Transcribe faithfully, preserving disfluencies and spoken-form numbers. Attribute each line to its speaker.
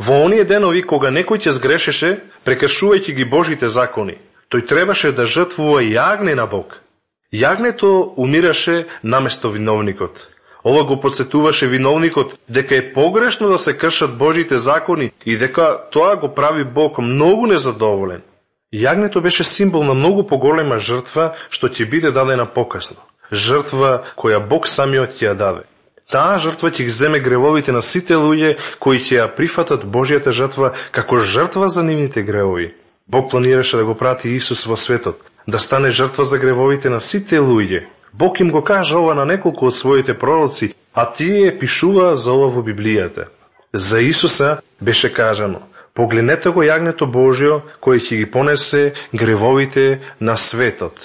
Speaker 1: Во оние денови кога некој ќе сгрешеше, прекршувајќи ги Божите закони, тој требаше да жртвува јагне на Бог. Јагнето умираше наместо виновникот. Ова го подсетуваше виновникот дека е погрешно да се кршат Божите закони и дека тоа го прави Бог многу незадоволен. Јагнето беше символ на многу поголема жртва што ќе биде дадена покасно. Жртва која Бог самиот ќе ја даде. Таа жртва ќе ги земе гревовите на сите луѓе кои ќе ја прифатат Божјата жртва како жртва за нивните гревови. Бог планираше да го прати Исус во светот, да стане жртва за гревовите на сите луѓе. Бог им го кажа ова на неколку од своите пророци, а тие пишува за ова во Библијата. За Исуса беше кажано: погледнете го јагнето Божјо, кој ќе ги понесе гревовите на светот.